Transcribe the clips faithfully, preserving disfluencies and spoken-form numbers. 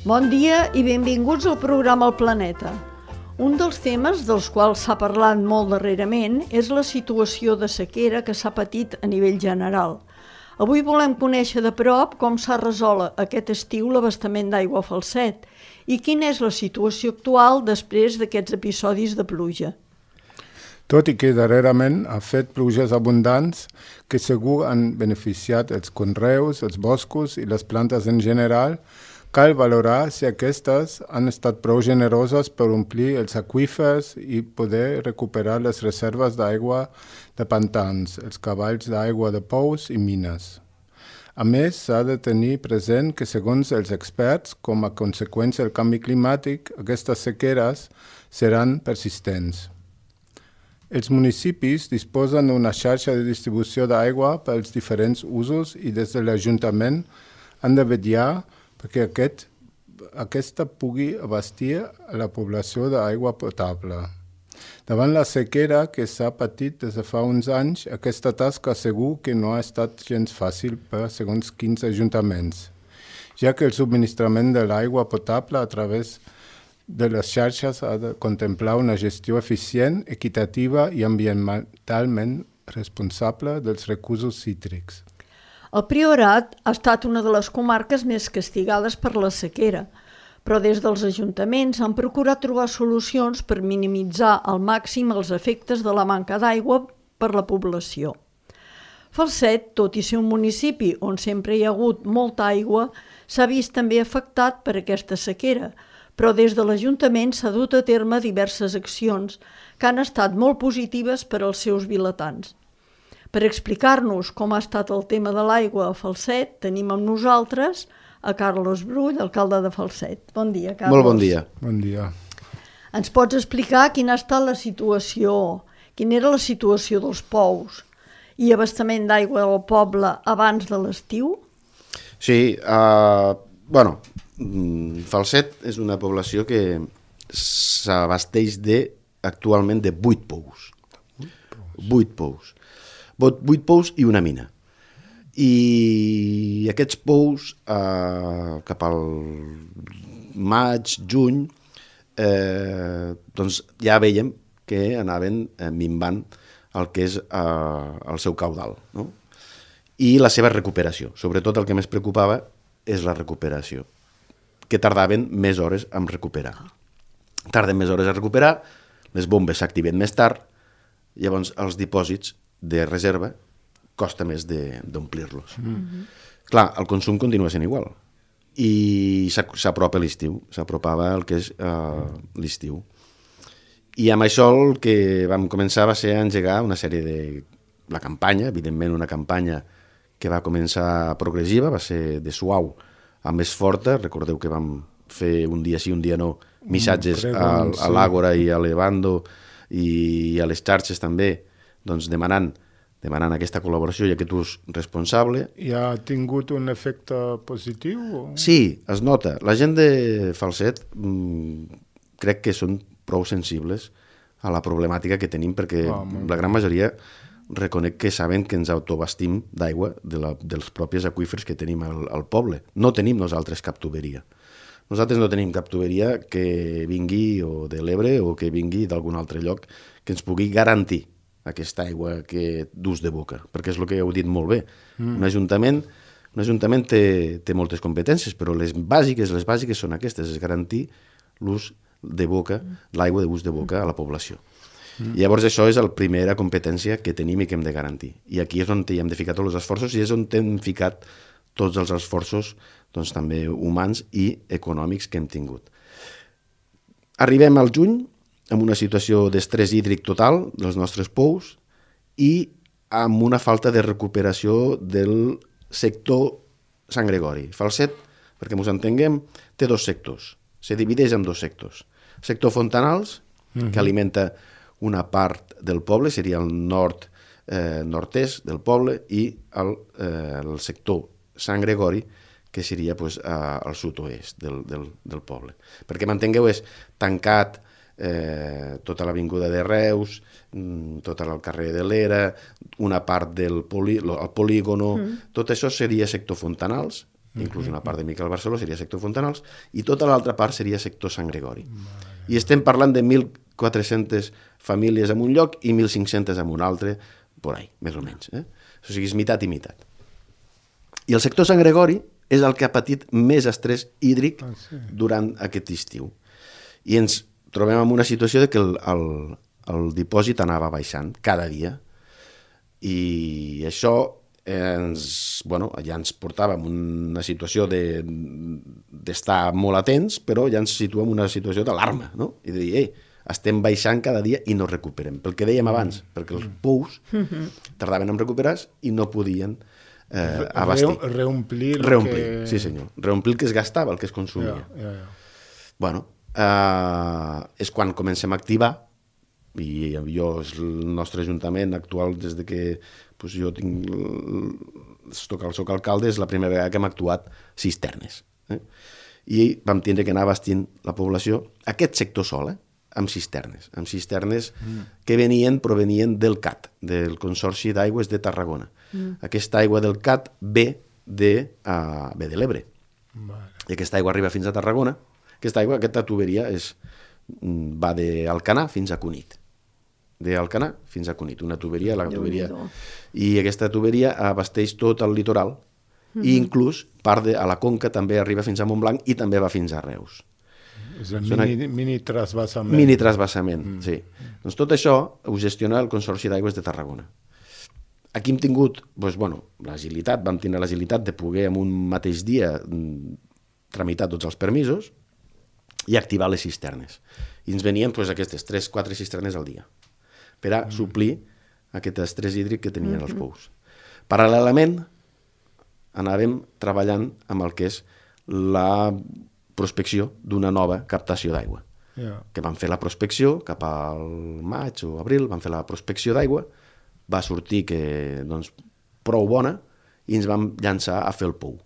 Bon dia i benvinguts al programa El Planeta. Un dels temes dels quals s'ha parlat molt darrerament és la situació de sequera que s'ha patit a nivell general. Avui volem conèixer de prop com s'ha resolt aquest estiu l'abastament d'aigua a Falset i quina és la situació actual després d'aquests episodis de pluja. Tot i que darrerament ha fet pluges abundants que segur han beneficiat els conreus, els boscos i les plantes en general, cal valorar si aquestes han estat prou generoses per omplir els aqüífers i poder recuperar les reserves d'aigua de pantans, els cavalls d'aigua de pous i mines. A més, s'ha de tenir present que, segons els experts, com a conseqüència del canvi climàtic, aquestes sequeres seran persistents. Els municipis disposen d'una xarxa de distribució d'aigua per als diferents usos i des de l'Ajuntament han de vetllar perquè aquest, aquesta pugui abastir a la població d'aigua potable. Davant la sequera que s'ha patit des de fa uns anys, aquesta tasca segur que no ha estat gens fàcil per segons quins ajuntaments, ja que el subministrament de l'aigua potable a través de les xarxes ha de contemplar una gestió eficient, equitativa i ambientalment responsable dels recursos cítrics. El Priorat ha estat una de les comarques més castigades per la sequera, però des dels ajuntaments han procurat trobar solucions per minimitzar al màxim els efectes de la manca d'aigua per la població. Falset, tot i ser un municipi on sempre hi ha hagut molta aigua, s'ha vist també afectat per aquesta sequera, però des de l'Ajuntament s'ha dut a terme diverses accions que han estat molt positives per als seus vilatans. Per explicar-nos com ha estat el tema de l'aigua a Falset, tenim amb nosaltres a Carlos Brull, alcalde de Falset. Bon dia, Carlos. Molt bon dia. Bon dia. Ens pots explicar quina ha estat la situació, quina era la situació dels pous i abastament d'aigua al poble abans de l'estiu? Sí, uh, bueno, Falset és una població que s'abasteix de, actualment de vuit pous. Vuit pous. Vuit pous i una mina. I aquests pous, eh, cap al maig, juny, eh, doncs ja veiem que anaven eh, minvant el que és eh, el seu caudal, no? I la seva recuperació. Sobretot el que més preocupava és la recuperació, que tardaven més hores en recuperar. Tarden més hores a recuperar, les bombes s'activen més tard, llavors els dipòsits de reserva costa més d'omplir-los. Mm-hmm. Clar, el consum continua sent igual i s'apropa l'estiu, s'apropava el que és uh, l'estiu. I amb això el que vam començar va ser engegar una sèrie de... la campanya, evidentment una campanya que va començar progressiva, va ser de suau a més forta. Recordeu que vam fer un dia sí, un dia no, missatges mm, a, a l'Àgora i a l'Evando i a les xarxes també, doncs demanant, demanant aquesta col·laboració i aquest ús responsable. I ha tingut un efecte positiu? O? Sí, es nota. La gent de Falset mmm, crec que són prou sensibles a la problemàtica que tenim perquè oh, la gran majoria reconec que saben que ens autobastim d'aigua de la, dels propis aqüífers que tenim al, al poble. No tenim nosaltres cap tuberia. Nosaltres no tenim cap tuberia que vingui o de l'Ebre o que vingui d'algun altre lloc que ens pugui garantir aquesta aigua que d'ús de boca, perquè és el que heu dit molt bé. Mm. Un ajuntament, un ajuntament té, té moltes competències, però les bàsiques, les bàsiques són aquestes, és garantir l'ús de boca, l'aigua d'ús de boca a la població. Mm. I llavors això és la primera competència que tenim i que hem de garantir. I aquí és on hi hem de ficar tots els esforços i és on hem ficat tots els esforços doncs, també humans i econòmics que hem tingut. Arribem al juny amb una situació d'estrès hídric total dels nostres pous i amb una falta de recuperació del sector Sant Gregori. Falset, perquè ens entenguem, té dos sectors. Se divideix en dos sectors. Sector Fontanals, uh-huh. que alimenta una part del poble, seria el nord, eh, nord-est del poble, i el, eh, el sector Sant Gregori, que seria pues, al sud-oest del, del, del poble. Perquè m'entengueu, és tancat eh, tota l'avinguda de Reus, tot el carrer de l'Era, una part del polí, el polígono, mm. tot això seria sector Fontanals, inclús una part de Miquel Barceló seria sector Fontanals, i tota l'altra part seria sector Sant Gregori. I estem parlant de mil quatre-centes famílies en un lloc i mil cinc-centes en un altre, por ahí, més o menys. Eh? O sigui, és meitat i meitat. I el sector Sant Gregori és el que ha patit més estrès hídric ah, sí. durant aquest estiu. I ens trobem en una situació de que el, el, el dipòsit anava baixant cada dia. I això ens, bueno, ja ens portava en una situació de, d'estar molt atents, però ja ens situem en una situació d'alarma, no? I de dir, ei, estem baixant cada dia i no recuperem. Pel que dèiem abans, perquè els pous tardaven en recuperar-se i no podien eh, abastir. Re, reomplir el reomplir, que... sí senyor. Reomplir el que es gastava, el que es consumia. Ja, ja, ja. Bueno, eh, és quan comencem a activar, i jo, el nostre ajuntament actual, des de que pues, jo tinc, soc alcalde, és la primera vegada que hem actuat cisternes. Eh? I vam tindre que anar abastint la població, aquest sector sol, eh? amb cisternes, amb cisternes mm. que venien, provenien del C A T, del Consorci d'Aigües de Tarragona. Mm. Aquesta aigua del C A T ve de, uh, ve de l'Ebre. Vale. I aquesta aigua arriba fins a Tarragona. Aquesta aigua, aquesta tuberia és, va d'Alcanar fins a Cunit. D'Alcanar fins a Cunit, una tuberia, la tuberia. I aquesta tuberia abasteix tot el litoral mm-hmm. i inclús part de a la Conca també arriba fins a Montblanc i també va fins a Reus. És el mini, mini trasbassament. Mini trasbassament, mm. sí. Doncs tot això ho gestiona el Consorci d'Aigües de Tarragona. Aquí hem tingut, doncs, bueno, l'agilitat, vam tenir l'agilitat de poder en un mateix dia tramitar tots els permisos i activar les cisternes. I ens venien doncs, aquestes tres quatre cisternes al dia per a mm. suplir aquest estrès hídric que tenien mm-hmm. els pous. Paral·lelament, anàvem treballant amb el que és la prospecció d'una nova captació d'aigua. Yeah. Que vam fer la prospecció cap al maig o abril, vam fer la prospecció d'aigua, va sortir que, doncs, prou bona i ens vam llançar a fer el pou.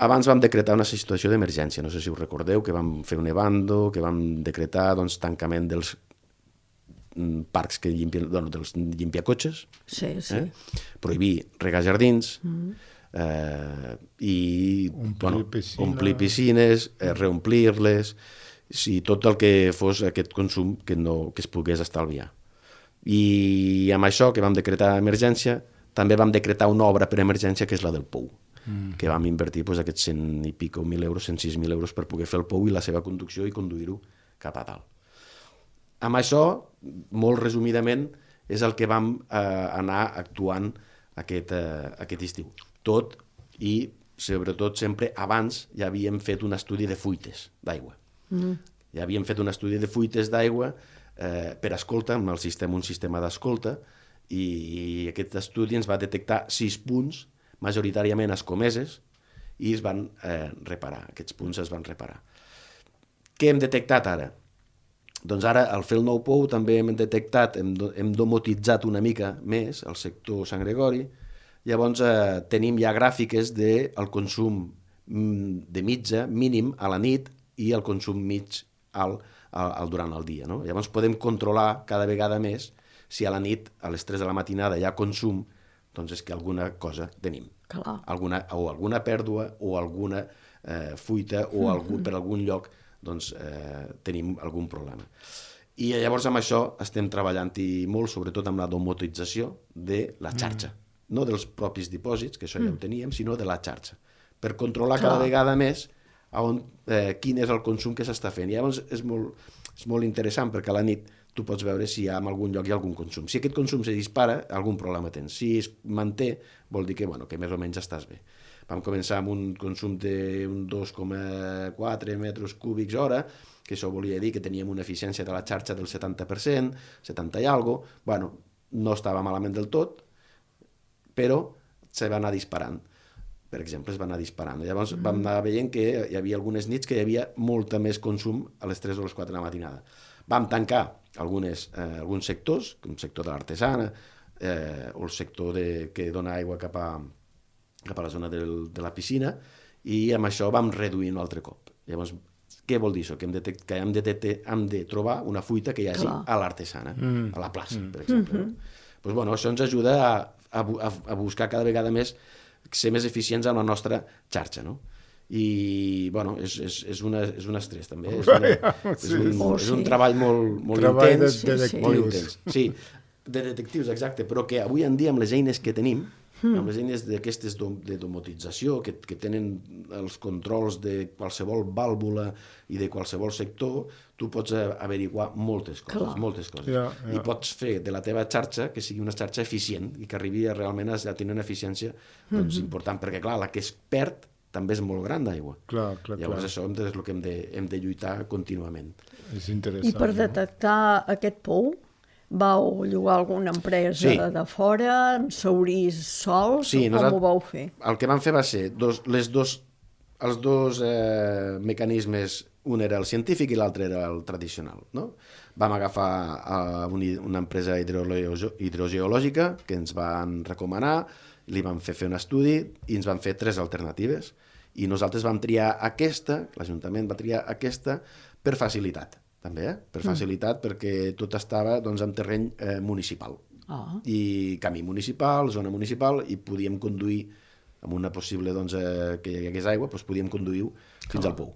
Abans vam decretar una situació d'emergència, no sé si us recordeu, que vam fer un evando, que vam decretar doncs, tancament dels parcs que llimpien, bueno, dels llimpiacotxes, sí, sí. Eh? Prohibir regar jardins, mm-hmm. eh, i omplir, bueno, piscina. omplir piscines, eh, reomplir-les, si tot el que fos aquest consum que, no, que es pogués estalviar. I amb això que vam decretar emergència, també vam decretar una obra per emergència que és la del pou, mm. que vam invertir pues, aquests cent i pico mil euros, cent sis mil euros per poder fer el pou i la seva conducció i conduir-ho cap a dalt. Amb això, molt resumidament, és el que vam eh, anar actuant aquest, eh, aquest estiu. Tot i, sobretot, sempre abans ja havíem fet un estudi de fuites d'aigua. Mm. Ja havíem fet un estudi de fuites d'aigua eh, per escolta, amb el sistema, un sistema d'escolta, i, i aquest estudi ens va detectar sis punts, majoritàriament escomeses, i es van eh, reparar. Aquests punts es van reparar. Què hem detectat ara? Doncs ara, al fer el nou pou, també hem detectat, hem, hem domotitzat una mica més el sector Sant Gregori. Llavors, eh, tenim ja gràfiques del de consum de mitja, mínim, a la nit i el consum mig al, al, al durant el dia. No? Llavors, podem controlar cada vegada més si a la nit, a les tres de la matinada, hi ha consum, doncs és que alguna cosa tenim. Clar. Alguna, o alguna pèrdua o alguna eh, fuita o algun, per algun lloc doncs eh, tenim algun problema. I llavors amb això estem treballant i molt, sobretot amb la domotització de la xarxa. Mm. No dels propis dipòsits, que això ja ho teníem, sinó de la xarxa. Per controlar Clar. cada vegada més on, eh, quin és el consum que s'està fent. I llavors és molt, és molt interessant perquè a la nit tu pots veure si en algun lloc hi ha algun consum. Si aquest consum se dispara, algun problema tens. Si es manté, vol dir que, bueno, que més o menys estàs bé. Vam començar amb un consum d'un dos coma quatre metres cúbics hora, que això volia dir que teníem una eficiència de la xarxa del setanta per cent, setanta i algo. Bueno, no estava malament del tot, però se va anar disparant. Per exemple, es va anar disparant. Llavors mm. vam anar veient que hi havia algunes nits que hi havia molta més consum a les tres o les quatre de la matinada. Vam tancar algunes, eh, alguns sectors, com el sector de l'artesana, eh, o el sector de, que dona aigua cap a, cap a la zona del, de la piscina, i amb això vam reduir un altre cop. Llavors, què vol dir això? Que hem de, que hem de, hem de trobar una fuita que hi hagi Clar. a l'artesana, mm. a la plaça, mm. per exemple. Mm-hmm. No? Pues, bueno, això ens ajuda a, a, a buscar cada vegada més ser més eficients en la nostra xarxa, no? I, bueno, és, és, és, una, és un estrès, també. És, una, és, un, Oh, és un sí. treball molt, molt Treball de intens. detectius. Molt intens. Sí, de detectius, exacte, però que avui en dia amb les eines que tenim, amb les eines d'aquestes dom- de domotització, que, que tenen els controls de qualsevol vàlvula i de qualsevol sector, tu pots eh, averiguar moltes coses, Clar. moltes coses. Ja, ja. I pots fer de la teva xarxa que sigui una xarxa eficient i que arribi a realment a tenir una eficiència doncs, important, perquè clar, la que es perd també és molt gran d'aigua. Clar, clar, Llavors clar. això és el que hem de, hem de lluitar contínuament. És interessant. I per detectar aquest pou, vau llogar alguna empresa Sí. de fora, amb saurís sols, Sí, o com nosaltres- ho vau fer? El que vam fer va ser dos, les dos, els dos eh, mecanismes, un era el científic i l'altre era el tradicional. No? Vam agafar eh, un, una empresa hidroleo- hidrogeològica que ens van recomanar, li vam fer fer un estudi i ens van fer tres alternatives. I nosaltres vam triar aquesta, l'Ajuntament va triar aquesta per facilitat, també, eh? per facilitat, mm. perquè tot estava doncs, en terreny eh, municipal. Ah. I camí municipal, zona municipal, i podíem conduir, amb una possible doncs, eh, que hi hagués aigua, doncs podíem conduir fins al pou.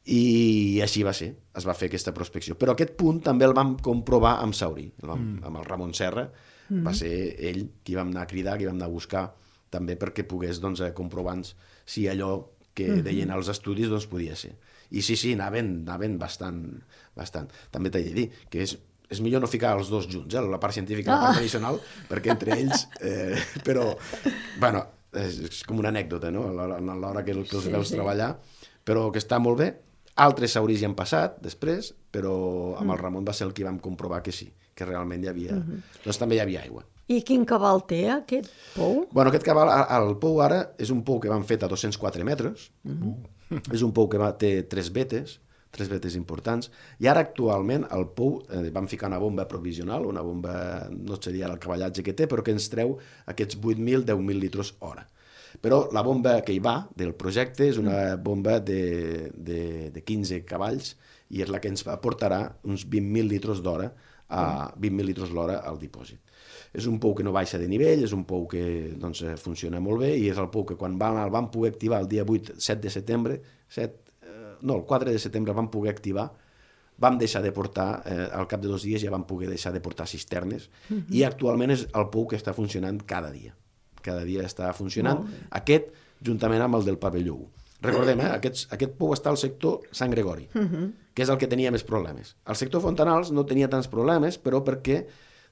I així va ser, es va fer aquesta prospecció. Però aquest punt també el vam comprovar amb Saurí, el vam, mm. amb el Ramon Serra, mm. va ser ell qui vam anar a cridar, qui vam anar a buscar, també perquè pogués doncs, comprovar si allò que mm-hmm. deien els estudis doncs, podia ser. I sí, sí, anaven, anaven bastant, bastant. També t'he de dir que és, és millor no ficar els dos junts, eh? La part científica i la part Ah. tradicional, perquè entre ells... Eh, però, bueno, és, és com una anècdota, no? A l'hora, a l'hora que, que els Sí, veus sí. treballar, però que està molt bé. Altres saurís hi han passat després, però amb el Ramon va ser el que vam comprovar que sí, que realment hi havia... Doncs també hi havia aigua. I quin cabal té aquest pou? Bueno, aquest cabal, el pou ara, és un pou que van fet a dos-cents quatre metres, és un pou que va, té tres vetes, tres vetes importants, i ara actualment el pou, eh, vam ficar una bomba provisional, una bomba, no seria el cavallatge que té, però que ens treu aquests vuit mil a deu mil litres hora. Però la bomba que hi va del projecte és una bomba de, de, de quinze cavalls i és la que ens aportarà uns vint mil litres d'hora a vint mil litres l'hora al dipòsit. És un pou que no baixa de nivell, és un pou que doncs, funciona molt bé i és el pou que quan van, el van poder activar el dia vuit, set de setembre, set, eh, no, el quatre de setembre el van poder activar, vam deixar de portar, eh, al cap de dos dies ja vam poder deixar de portar cisternes mm-hmm. i actualment és el pou que està funcionant cada dia. Cada dia està funcionant. Aquest, juntament amb el del pavelló u. Recordem, eh, aquest, aquest pou està al sector Sant Gregori, uh-huh. que és el que tenia més problemes. El sector Fontanals no tenia tants problemes, però perquè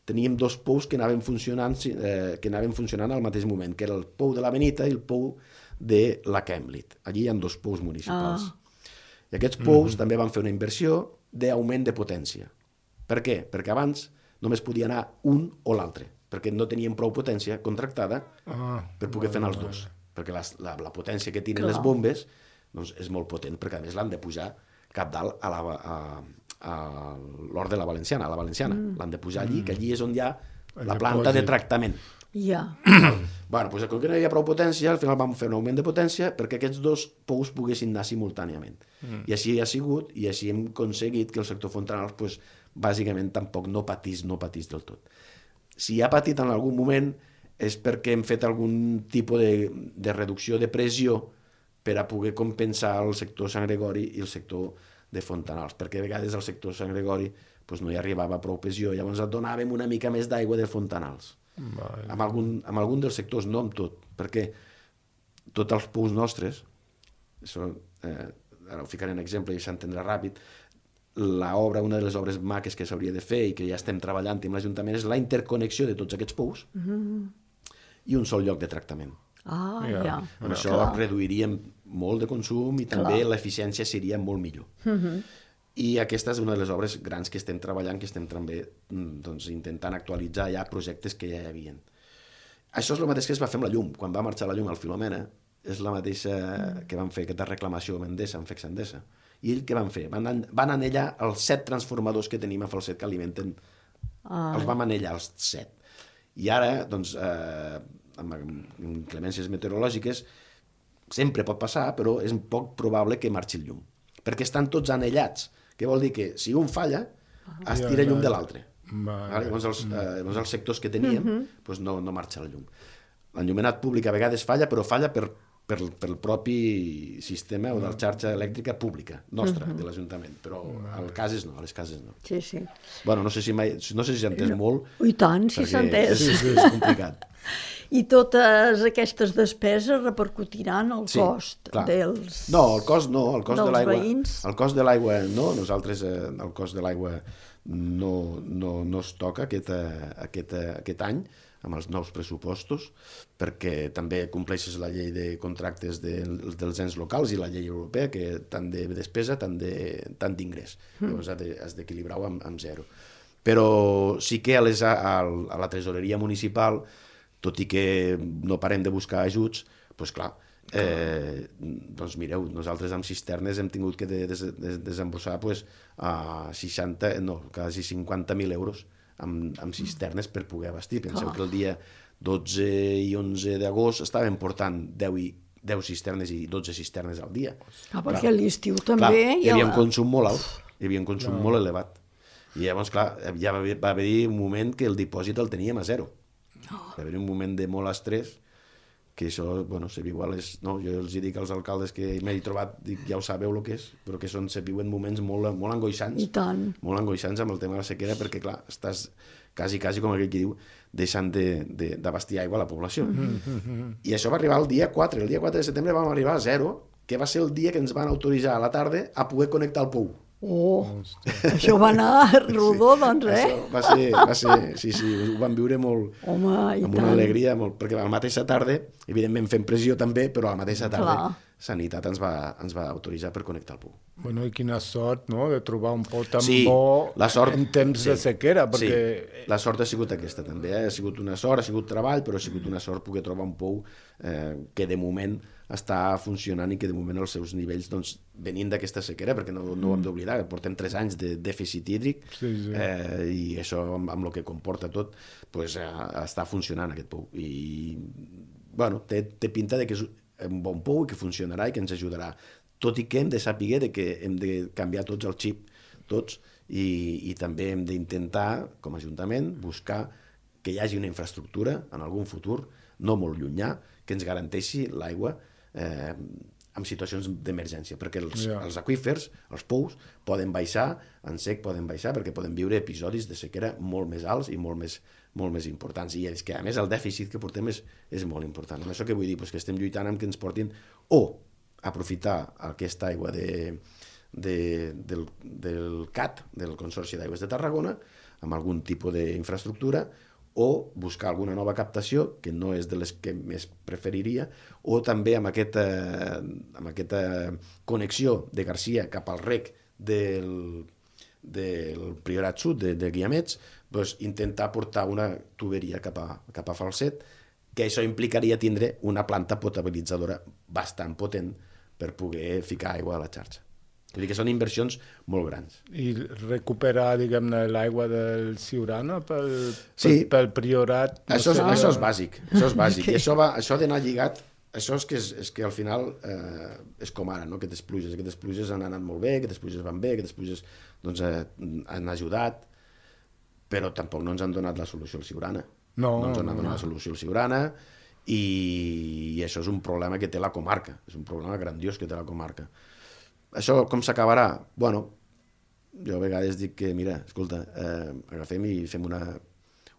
teníem dos pous que anaven funcionant, eh, que anaven funcionant al mateix moment, que era el pou de la Benita i el pou de la Camblit. Allí hi ha dos pous municipals. Ah. I aquests pous uh-huh. també van fer una inversió d'augment de potència. Per què? Perquè abans només podia anar un o l'altre, perquè no teníem prou potència contractada ah, per poder fer els dos. Perquè la, la, la potència que tenen Clar. les bombes doncs, és molt potent, perquè a més l'han de pujar cap dalt a, la, a, a l'Hort de la Valenciana, a la Valenciana. Mm. L'han de pujar allí, que allí és on hi ha la planta de tractament. Ja. Bueno, doncs, com que no hi havia prou potència, al final vam fer un augment de potència perquè aquests dos pous poguessin anar simultàniament. Mm. I així ha sigut, i així hem aconseguit que el sector Fontanals, doncs, bàsicament, tampoc no patís, no patís del tot. Si ha patit en algun moment és perquè hem fet algun tipus de, de reducció de pressió per a poder compensar el sector Sant Gregori i el sector de Fontanals, perquè a vegades el sector Sant Gregori doncs, no hi arribava prou pressió, llavors donàvem una mica més d'aigua de Fontanals. Vale. Amb, algun, amb algun dels sectors, no amb tot, perquè tots els pous nostres, això, eh, ara ho ficaré en exemple i s'entendrà ràpid, l'obra, una de les obres maques que s'hauria de fer i que ja estem treballant amb l'Ajuntament és la interconnexió de tots aquests pous mm-hmm. i un sol lloc de tractament. Ah, ja. ja. Amb ja. això Clar. reduiríem molt de consum i també Clar. l'eficiència seria molt millor. Mm-hmm. I aquesta és una de les obres grans que estem treballant, que estem també doncs, intentant actualitzar ja projectes que ja hi havia. Això és el mateix que es va fer amb la llum. Quan va marxar la llum al Filomena, és la mateixa mm. que van fer aquesta reclamació amb Endesa, amb Fex Endesa. I ell què van fer? Van, an van anellar els set transformadors que tenim a Falset que alimenten. Ah. Els vam anellar, els set. I ara, doncs, eh, amb inclemències meteorològiques, sempre pot passar, però és poc probable que marxi el llum. Perquè estan tots anellats. Què vol dir? Que si un falla, es tira llum de l'altre. Vale. Llavors, els, eh, llavors els sectors que teníem mm-hmm. doncs no, no marxa el llum. l'enllumenat públic a vegades falla, però falla per, per, per el propi sistema o de la xarxa elèctrica pública, nostra, uh-huh. de l'Ajuntament, però al cases no, a les cases no. Sí, sí. Bueno, no sé si mai, no sé si s'ha entès no. molt. I tant, si s'ha entès. És, és complicat. I totes aquestes despeses repercutiran al sí, cost clar. dels No, el cost no, el cost de l'aigua. Veïns. El cost de l'aigua no, nosaltres eh, el cost de l'aigua no, no, no es toca aquest, aquest, aquest any amb els nous pressupostos, perquè també compleixes la llei de contractes de, dels ens locals i la llei europea, que tant de despesa, tant d'ingrés. Mm. Llavors has d'equilibrar-ho amb, amb zero. Però sí que a, les, a, a la tresoreria municipal, tot i que no parem de buscar ajuts, doncs clar, eh, doncs mireu, nosaltres amb cisternes hem tingut que de, de, de, desembossar pues, a seixanta, no, quasi cinquanta mil euros amb, amb cisternes per poder abastir. Penseu oh. que el dia dotze i onze d'agost estàvem portant deu, i, deu cisternes i dotze cisternes al dia. Ah, perquè a l'estiu també... Clar, hi havia un consum molt alt, hi havia un consum no. molt elevat. I llavors, clar, ja va, va haver un moment que el dipòsit el teníem a zero. Oh. Va haver un moment de molt estrès, que això, bueno, se viu a les... No, jo els dic als alcaldes que m'he trobat, dic, ja ho sabeu el que és, però que són, se viuen moments molt, molt angoixants. I tant. Molt angoixants amb el tema de la sequera, perquè, clar, estàs quasi, quasi, com aquell que diu, deixant d'abastir aigua a la població. Mm-hmm. I això va arribar el dia quatre. El dia quatre de setembre vam arribar a zero, que va ser el dia que ens van autoritzar a la tarda a poder connectar el pou. Oh, això va anar rodó, doncs, eh? Això va ser, va ser, sí, sí, ho vam viure molt, Home, i amb tant. una alegria, molt, perquè a la mateixa tarda, evidentment fent pressió també, però a la mateixa tarda Clar. Sanitat ens va, ens va autoritzar per connectar el pou. Bueno, i quina sort, no?, de trobar un pou tan sí, bo la sort, en temps sí, de sequera, perquè... Sí, la sort ha sigut aquesta també, eh? Ha sigut una sort, ha sigut treball, però ha sigut una sort poder trobar un pou eh, que de moment està funcionant i que de moment els seus nivells doncs, venint d'aquesta sequera, perquè no, no ho hem d'oblidar, portem tres anys de dèficit hídric sí, sí. Eh, i això amb, amb el que comporta tot pues, eh, està funcionant aquest pou i bueno, té, té pinta de que és un bon pou i que funcionarà i que ens ajudarà, tot i que hem de saber de que hem de canviar tots el xip, tots, i, i també hem d'intentar, com a Ajuntament, buscar que hi hagi una infraestructura en algun futur, no molt llunyà, que ens garanteixi l'aigua eh, en situacions d'emergència, perquè els, yeah. els aqüífers, els pous, poden baixar, en sec poden baixar, perquè poden viure episodis de sequera molt més alts i molt més, molt més importants. I és que, a més, el dèficit que portem és, és molt important. Amb això que vull dir? Pues que estem lluitant amb que ens portin o aprofitar aquesta aigua de, de, del, del C A T, del Consorci d'Aigües de Tarragona, amb algun tipus d'infraestructura, o buscar alguna nova captació, que no és de les que més preferiria, o també amb aquesta, amb aquesta connexió de Garcia cap al rec del, del Priorat Sud, de, de Guiamets, doncs intentar portar una tuberia cap a, cap a Falset, que això implicaria tindre una planta potabilitzadora bastant potent per poder ficar aigua a la xarxa. Vull dir que són inversions molt grans. I recuperar, diguem-ne, l'aigua del Siurana pel, sí. pel, pel Priorat... No això, sé, això és bàsic, això és bàsic. I això, va, això ha d'anar lligat, això és que, és, és que al final eh, és com ara, no? Aquestes pluges, aquestes pluges han anat molt bé, aquestes pluges van bé, aquestes pluges doncs, eh, han ajudat, però tampoc no ens han donat la solució al Siurana. No, no ens han no, donat no. la solució al Siurana i, i això és un problema que té la comarca, és un problema grandiós que té la comarca. Això com s'acabarà? Bueno, jo a vegades dic que, mira, escolta, eh, agafem i fem una,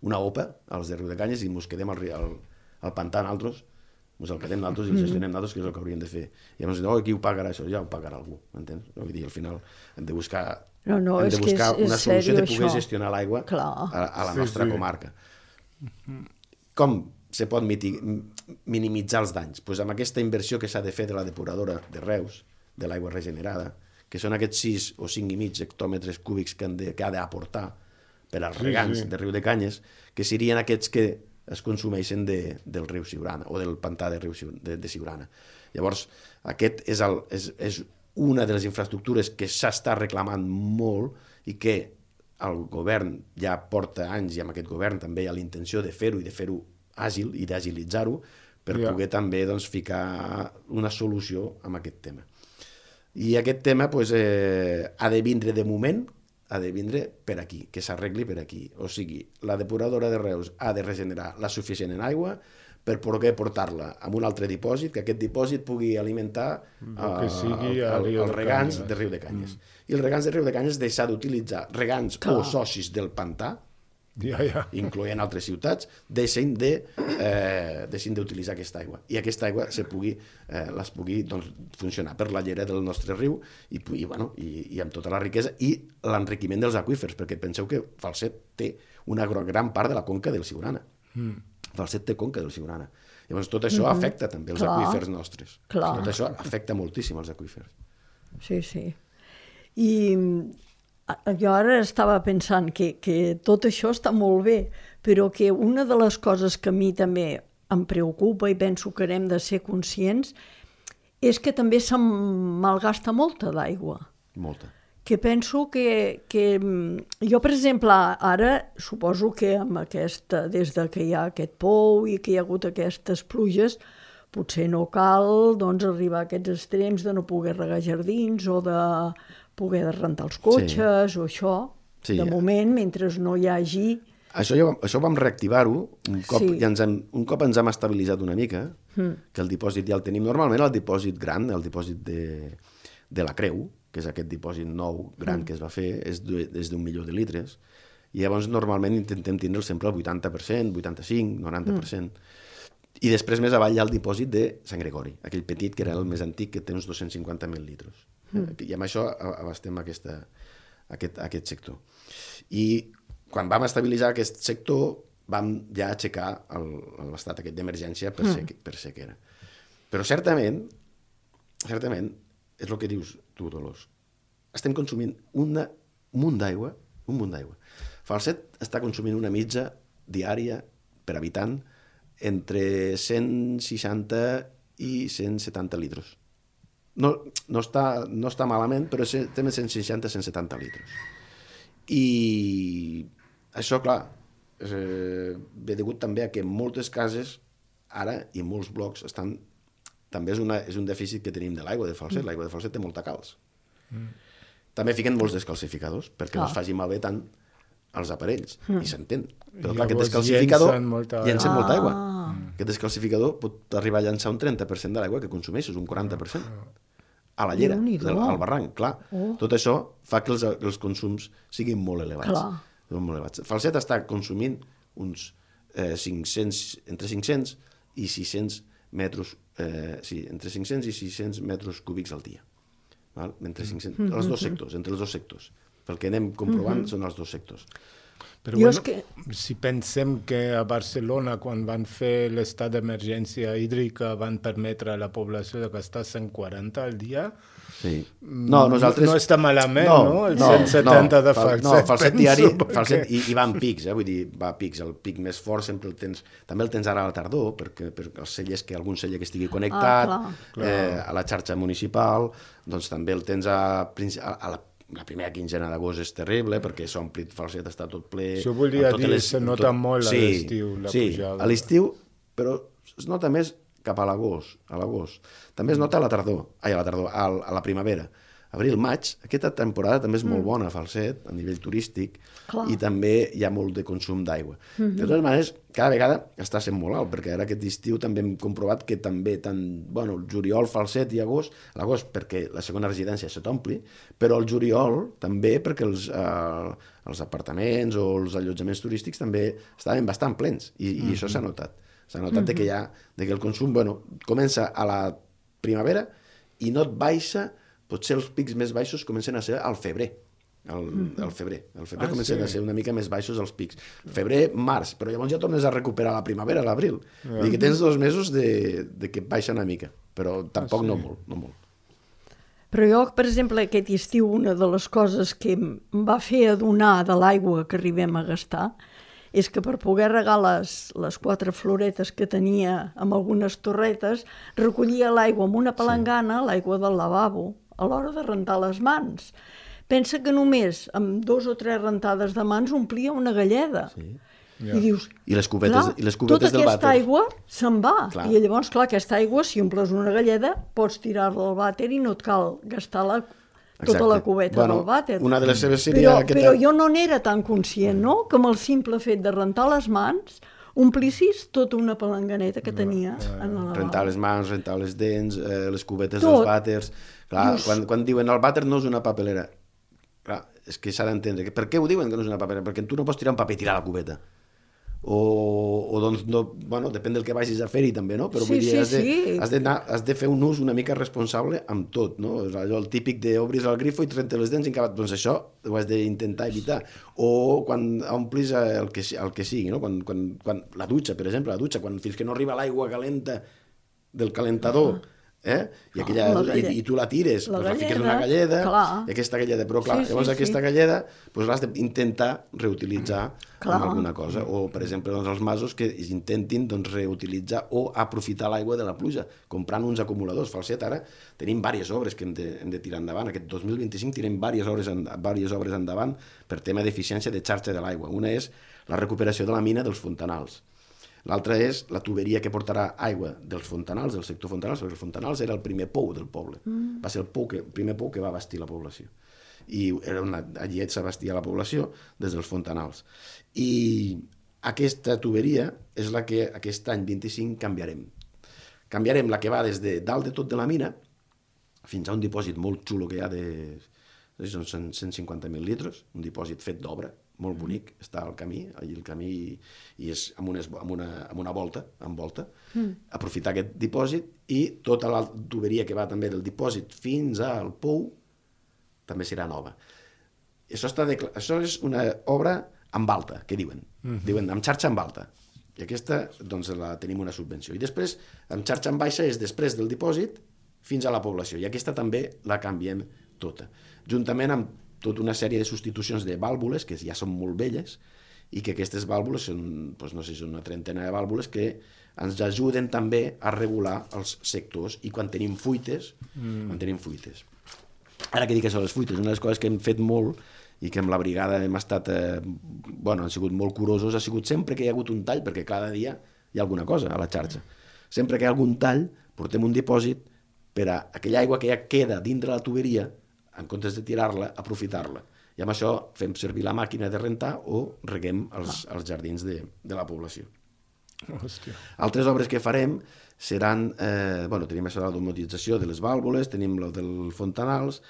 una opa als de Riudecanyes i ens quedem al, al, al pantà nosaltres, ens el quedem nosaltres i el gestionem nosaltres, que és el que hauríem de fer. I llavors, oh, qui ho pagarà això? Ja ho pagarà algú, m'entens? Vull dir, al final hem de buscar, no, no, hem de buscar és, una és solució de poder això. gestionar l'aigua a, a la sí, nostra sí. comarca. Com se pot mitig, minimitzar els danys? Pues amb aquesta inversió que s'ha de fer de la depuradora de Reus, de l'aigua regenerada, que són aquests sis o cinc i mig hectòmetres cúbics que, han de, que ha d'aportar per als regants sí, sí. de Riudecanyes, que serien aquests que es consumeixen de, del riu Siurana o del pantà de, riu, de, de Siurana. Llavors, aquest és, el, és, és una de les infraestructures que s'està reclamant molt i que el govern ja porta anys i amb aquest govern també hi ha la intenció de fer-ho i de fer-ho àgil i d'agilitzar-ho per ja. poder també doncs, ficar una solució amb aquest tema. I aquest tema pues, eh, ha de vindre de moment, ha de vindre per aquí, que s'arregli per aquí. O sigui, la depuradora de Reus ha de regenerar la suficient en aigua per poder portar-la a un altre dipòsit, que aquest dipòsit pugui alimentar uh, que sigui el, el, el els regants de de Riu de Canyes. Mm. I els regants de Riu de Canyes deixar d'utilitzar regants Clar. o socis del pantà, ja, ja. incloent altres ciutats, deixin de, eh, deixin d'utilitzar aquesta aigua. I aquesta aigua se pugui, eh, les pugui doncs, funcionar per la llera del nostre riu i, i, bueno, i, i amb tota la riquesa i l'enriquiment dels aqüífers, perquè penseu que Falset té una gran part de la conca del Siurana. Mm. Falset té conca del Siurana. Llavors tot això mm-hmm. afecta també els Clar. aqüífers nostres. Clar. Tot això afecta moltíssim els aqüífers. Sí, sí. I jo ara estava pensant que, que tot això està molt bé, però que una de les coses que a mi també em preocupa i penso que hem de ser conscients és que també se'n malgasta molta d'aigua. Molta. Que penso que, que... Jo, per exemple, ara suposo que amb aquesta, des de que hi ha aquest pou i que hi ha hagut aquestes pluges, potser no cal doncs, arribar a aquests extrems de no poder regar jardins o de poder rentar els cotxes sí. o això. Sí. De moment, mentre no hi hagi... Això, ja, això vam reactivar-ho un cop, sí. ja ens hem, un cop ens hem estabilitzat una mica, mm. que el dipòsit ja el tenim. Normalment el dipòsit gran, el dipòsit de, de la Creu, que és aquest dipòsit nou gran mm. que es va fer, és d'un milió de litres, i llavors normalment intentem tindre'l sempre al vuitanta per cent, vuitanta-cinc, noranta per cent. Mm. I després més avall hi ha el dipòsit de Sant Gregori, aquell petit que era el més antic, que té uns dos-cents cinquanta mil litres. Mm. I amb això abastem aquesta, aquest, aquest sector. I quan vam estabilitzar aquest sector, vam ja aixecar l'estat aquest d'emergència per, mm. sec, per sequera. Però certament, certament, és el que dius tu, Dolors. Estem consumint una, un munt d'aigua, un munt d'aigua. Falset està consumint una mitja diària per habitant entre cent seixanta i cent setanta litres. No, no, està, no està malament, però estem cent seixanta a cent setanta litres. I això, clar, eh, ve degut també a que moltes cases, ara, i molts blocs, estan... també és, una, és un dèficit que tenim de l'aigua de Falset. L'aigua de Falset té molta calç. Mm. També fiquen molts descalcificadors, perquè ah. no es faci malbé tant els aparells, mm. i s'entén. Però clar, aquest descalcificador llencen molta, llencen ah. molta aigua. Aquest descalcificador pot arribar a llançar un trenta per cent de l'aigua que consumeixes, un quaranta per cent. A la llera, del, al barranc, clar. Oh. Tot això fa que els, els consums siguin molt elevats. Clar. Molt elevats. Falset està consumint uns eh, cinc-cents, entre cinc-cents i sis-cents metres, eh, sí, entre cinc-cents i sis-cents metres cúbics al dia. Val? Entre cinc-cents, mm-hmm. els dos sectors, entre els dos sectors. Pel que anem comprovant mm-hmm. són els dos sectors. Però bueno, que... si pensem que a Barcelona, quan van fer l'estat d'emergència hídrica, van permetre a la població de gastar cent quaranta al dia, sí. no, nosaltres... no està malament, no? no? El no, cent setanta no, de Falset, no, Falset diari, perquè... Falset, i, i va en pics, eh? Vull dir, va a pics. El pic més fort sempre el tens... També el tens ara a la tardor, perquè per els cellers, que algun celler que estigui connectat, ah, eh, a la xarxa municipal, doncs també el tens a, a, a la la primera quinzena d'agost és terrible, perquè s'omplit Falset, està tot ple... Això volia dir, les... se nota tot... molt a sí, l'estiu, la sí, pujada. A l'estiu, però es nota més cap a l'agost, a l'agost. També es nota a la tardor, ai, a la tardor, a, a la primavera. Abril, maig, aquesta temporada també és mm. molt bona a Falset, a nivell turístic, Clar. I també hi ha molt de consum d'aigua. Mm-hmm. De totes maneres, cada vegada està sent molt alt, perquè ara aquest estiu també hem comprovat que també, tant, bueno, el juliol, Falset i agost, l'agost perquè la segona residència se t'ompli, però el juliol també perquè els, eh, els apartaments o els allotjaments turístics també estaven bastant plens, i, mm-hmm. i això s'ha notat. S'ha notat mm-hmm. de que, ja, de que el consum, bueno, comença a la primavera i no et baixa. Potser els pics més baixos comencen a ser al febrer. Al, al febrer. Al febrer ah, comencen sí. a ser una mica més baixos els pics. Febrer, març, però llavors ja tornes a recuperar la primavera, l'abril. Ah. Vull dir que tens dos mesos de, de que baixa una mica, però tampoc ah, sí. no molt, no molt. Però jo, per exemple, aquest estiu, una de les coses que em va fer adonar de l'aigua que arribem a gastar és que per poder regar les, les quatre floretes que tenia amb algunes torretes, recollia l'aigua amb una palangana, sí. l'aigua del lavabo, a l'hora de rentar les mans. Pensa que només amb dos o tres rentades de mans omplia una galleda. Sí. Ja. I dius, I les cubetes, clar, i les cubetes tota del aquesta vàter. aigua se'n va. Clar. I llavors, clar, aquesta aigua, si omples una galleda, pots tirar-la al vàter i no et cal gastar la, tota Exacte. La cubeta bueno, del vàter. Una de les seves seria però, aquesta... però jo no n'era tan conscient, no? Que amb el simple fet de rentar les mans omplissis tota una palanganeta que tenia en el lavabo. Rentar les mans, rentar les dents, eh, les cubetes Tot. dels vàters... Clar, Just... quan, quan diuen el vàter no és una papelera, clar, és que s'ha d'entendre. Per què ho diuen que no és una papelera? Perquè tu no pots tirar un paper i tirar la cubeta. O, o doncs, no, bueno, depèn del que vagis a fer-hi també, no? Però sí, vull dir, sí, has, de, sí. has, de anar, has de fer un ús una mica responsable amb tot, no? És allò, el típic d'obris el grifo i et rentes les dents i encara... Doncs això ho has d'intentar evitar. O quan omplis el que, el que sigui, no? Quan, quan, quan, la dutxa, per exemple, la dutxa, quan fins que no arriba l'aigua calenta del calentador, ah. Eh? I, aquella, i, i tu la tires, la doncs la fiques en una galleda, clar. I aquesta galleda, però clar, sí, llavors sí, aquesta sí. galleda doncs l'has d'intentar reutilitzar clar. amb alguna cosa, o per exemple doncs, els masos que intentin doncs, reutilitzar o aprofitar l'aigua de la pluja, comprant uns acumuladors. Falset, ara tenim diverses obres que hem de, hem de tirar endavant, aquest dos mil vint-i-cinc tirem diverses obres, en, diverses obres endavant per tema d'eficiència de xarxa de l'aigua. Una és la recuperació de la mina dels fontanals. L'altra és la tuberia que portarà aigua dels fontanals, del sector fontanals, perquè el fontanals era el primer pou del poble. Mm. Va ser el, pou que, el primer pou que va bastir la població. I era una, allí s'abastia la població des dels fontanals. I aquesta tuberia és la que aquest any vint-i-cinc canviarem. Canviarem la que va des de dalt de tot de la mina fins a un dipòsit molt xulo que hi ha de cent cinquanta mil litres, un dipòsit fet d'obra, molt bonic, està al camí, allí el camí i és amb, unes, amb, una, amb una volta, amb volta, mm. aprofitar aquest dipòsit i tota la tuberia que va també del dipòsit fins al pou també serà nova. Això, està de, això és una obra amb alta, que diuen, mm-hmm. diuen amb xarxa amb alta, i aquesta doncs la tenim una subvenció. I després, amb xarxa amb baixa és després del dipòsit fins a la població, i aquesta també la canviem tota, juntament amb tota una sèrie de substitucions de vàlvules que ja són molt velles i que aquestes vàlvules són, doncs no sé, són una trentena de vàlvules que ens ajuden també a regular els sectors i quan tenim fuites, mm. quan tenim fuites. Ara que dic això, les fuites, una de les coses que hem fet molt i que amb la brigada hem estat, eh, bueno, han sigut molt curosos, ha sigut sempre que hi ha hagut un tall, perquè cada dia hi ha alguna cosa a la xarxa. Sempre que hi ha algun tall, portem un dipòsit per a aquella aigua que ja queda dintre la tuberia, en comptes de tirar-la, aprofitar-la. I amb això fem servir la màquina de rentar o reguem els, els jardins de, de la població. Hòstia. Altres obres que farem seran, eh, bueno, tenim això de la domotització de les vàlvules, tenim el dels fontanals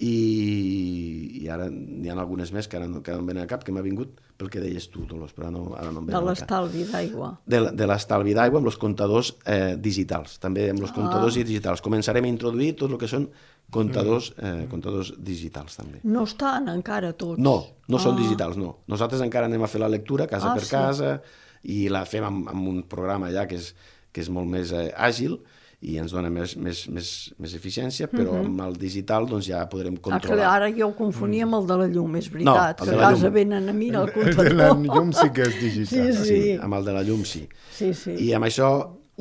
i, i ara n'hi ha algunes més que ara no, que no em venen a cap, que m'ha vingut pel que deies tu, Dolors, però no, ara no em venen a cap. De l'estalvi d'aigua. De, de l'estalvi d'aigua amb els comptadors eh, digitals, també amb els ah. comptadors digitals. Començarem a introduir tot el que són comptadors, eh, comptadors digitals també. No estan encara tots? No, no ah. són digitals, no. Nosaltres encara anem a fer la lectura casa ah, per sí. casa i la fem amb, amb un programa ja que és, que és molt més eh, àgil i ens dona més, més, més, més eficiència, però uh-huh. amb el digital doncs, ja podrem controlar. Ah, ara jo ho confonia amb el de la llum, és veritat, no, que a casa venen a mirar el comptador. El de la llum sí que és digital. Sí, sí. sí, amb el de la llum sí. sí, sí. I amb això,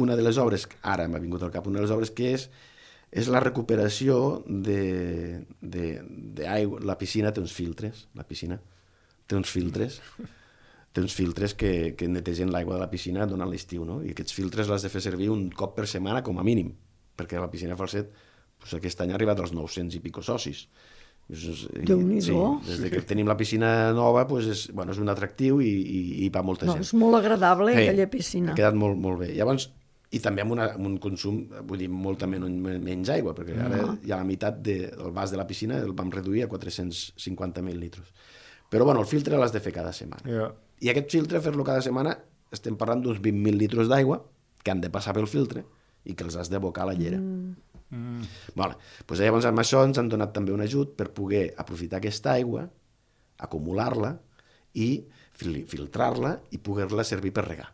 una de les obres, ara m'ha vingut al cap, una de les obres que és és la recuperació de, de, de aigua. La piscina té uns filtres, la piscina té uns filtres, té uns filtres que, que netegen l'aigua de la piscina durant l'estiu, no? I aquests filtres l'has de fer servir un cop per setmana com a mínim, perquè la piscina Falset doncs aquest any ha arribat als nou-cents i pico socis. Déu-n'hi-do. Sí, des que tenim la piscina nova doncs és, bueno, és un atractiu i, i, i va molta no, gent. És molt agradable hey, aquella piscina. Ha quedat molt, molt bé. Llavors, i també amb, una, amb un consum, vull dir, molta menys, menys aigua, perquè ara uh-huh. ja la meitat del de, vas de la piscina el vam reduir a quatre-cents cinquanta mil litres. Però bueno, el filtre l'has de fer cada setmana. Yeah. I aquest filtre, fer-lo cada setmana, estem parlant d'uns vint mil litres d'aigua que han de passar pel filtre i que els has d'abocar a la llera. Mm. Mm. Bueno, doncs llavors amb això ens han donat també un ajut per poder aprofitar aquesta aigua, acumular-la i fil filtrar-la i poder-la servir per regar.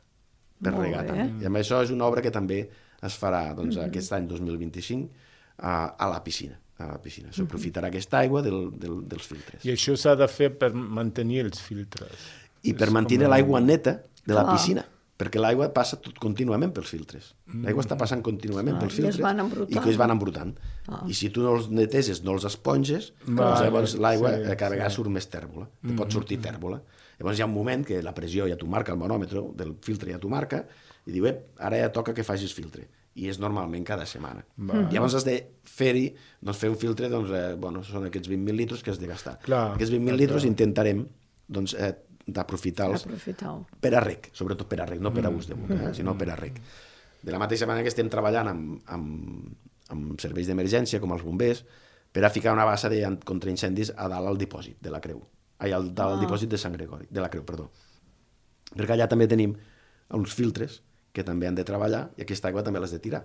Per Molt regar bé. També. I amb això és una obra que també es farà doncs, mm -hmm. aquest any dos mil vint-i-cinc a, a la piscina. A la piscina. S'aprofitarà mm -hmm. aquesta aigua del, del, dels filtres. I això s'ha de fer per mantenir els filtres. I per mantenir com... l'aigua neta de la ah. piscina, perquè l'aigua passa tot contínuament pels filtres. Mm. L'aigua està passant contínuament ah, pels filtres i, i que es van embrutant. Ah. I si tu no els neteses, no els esponges, vale, doncs llavors l'aigua sí, cada vegada sí. surt més tèrbola. Mm. Pot sortir tèrbola. Llavors hi ha un moment que la pressió ja t'ho marca, el manòmetre del filtre ja t'ho marca, i diu, ep, ara ja toca que facis filtre. I és normalment cada setmana. Mm. Llavors has de fer-hi, doncs fer un filtre, doncs, eh, bueno, són aquests vint mil litres que has de gastar. Clar, aquests vint mil litres intentarem doncs, eh, d'aprofitar-los per a rec, sobretot per a rec, no per a ús de boca, eh, sinó per a rec. De la mateixa manera que estem treballant amb, amb, amb serveis d'emergència, com els bombers, per a ficar una bassa de contra incendis a dalt al dipòsit de la Creu. Ai, al dalt al dipòsit de Sant Gregori, de la Creu, perdó. Perquè allà també tenim uns filtres que també han de treballar i aquesta aigua també l'has de tirar.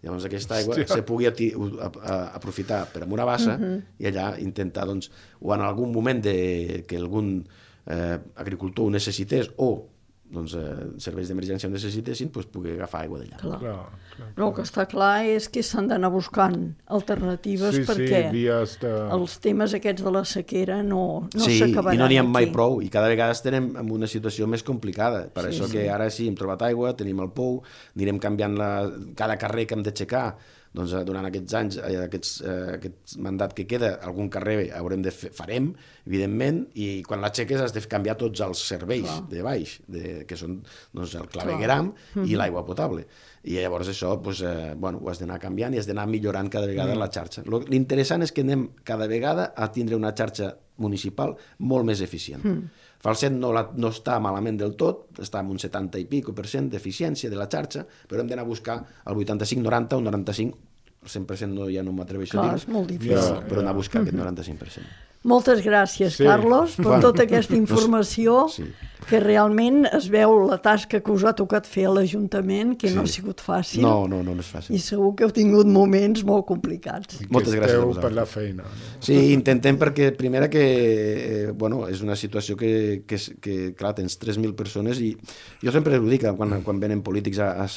Llavors aquesta aigua Hòstia. se pugui aprofitar per amb una bassa uh-huh. i allà intentar, doncs, o en algun moment de, que algun eh, agricultor ho necessités o doncs, eh, serveis d'emergència ho necessitessin, doncs pugui agafar aigua d'allà. Clar. Clar, clar, clar. El que està clar és que s'han d'anar buscant alternatives sí, perquè sí, de... els temes aquests de la sequera no, no sí, s'acabaran. Sí, i no n'hi ha mai prou, i cada vegada estem en una situació més complicada. Per sí, això sí. que ara sí, hem trobat aigua, tenim el pou, anirem canviant la... cada carrer que hem d'aixecar. Doncs durant aquests anys, aquests, eh, aquest mandat que queda, algun carrer haurem de fer, farem, evidentment, i quan l'aixeques has de canviar tots els serveis Clar. de baix, de, que són doncs, el clavegueram Clar. i l'aigua potable. I llavors això doncs, eh, bueno, ho has d'anar canviant i has d'anar millorant cada vegada mm. la xarxa. L'interessant és que anem cada vegada a tindre una xarxa municipal molt més eficient. Mm. Falset no, la, no està malament del tot, està en un setanta i pico per cent d'eficiència de la xarxa, però hem d'anar a buscar el vuitanta-cinc noranta o noranta-cinc, el cent per cent no, ja no m'atreveixo a dir, és molt difícil. però, però anar a buscar aquest noranta-cinc per cent. Moltes gràcies, sí. Carlos, per bueno, tota aquesta informació, sí. que realment es veu la tasca que us ha tocat fer a l'Ajuntament, que sí. no ha sigut fàcil. No, no, no, no és fàcil. I segur que heu tingut moments molt complicats. I que Moltes gràcies a vosaltres. Per la feina. No? Sí, intentem perquè, primera, que eh, bueno, és una situació que, que, que clar, tens tres mil persones i jo sempre ho dic quan, quan venen polítics a, a,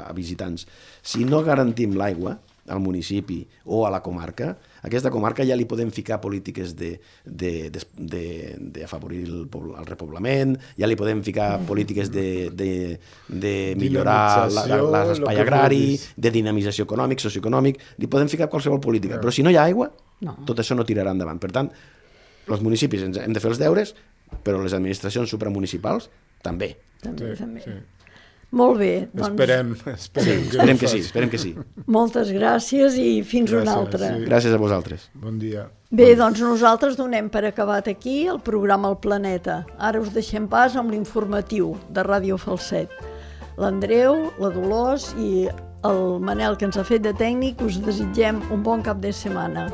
a visitants. Si no garantim l'aigua al municipi o a la comarca, a aquesta comarca ja li podem ficar polítiques d'afavorir el, el repoblament, ja li podem ficar polítiques de, de, de millorar l'espai agrari, de dinamització econòmic, socioeconòmic, li podem ficar qualsevol política, però si no hi ha aigua, no. tot això no tirarà endavant. Per tant, els municipis hem de fer els deures, però les administracions supramunicipals també. També, sí, també. Sí. Molt bé. Doncs... Esperem, esperem, sí, esperem que sí, esperem que sí. Moltes gràcies i fins gràcies, una altra. Sí. Gràcies a vosaltres. Bon dia. Bé, doncs nosaltres donem per acabat aquí el programa El Planeta. Ara us deixem pas amb l'informatiu de Ràdio Falset. L'Andreu, la Dolors i el Manel, que ens ha fet de tècnic, us desitgem un bon cap de setmana.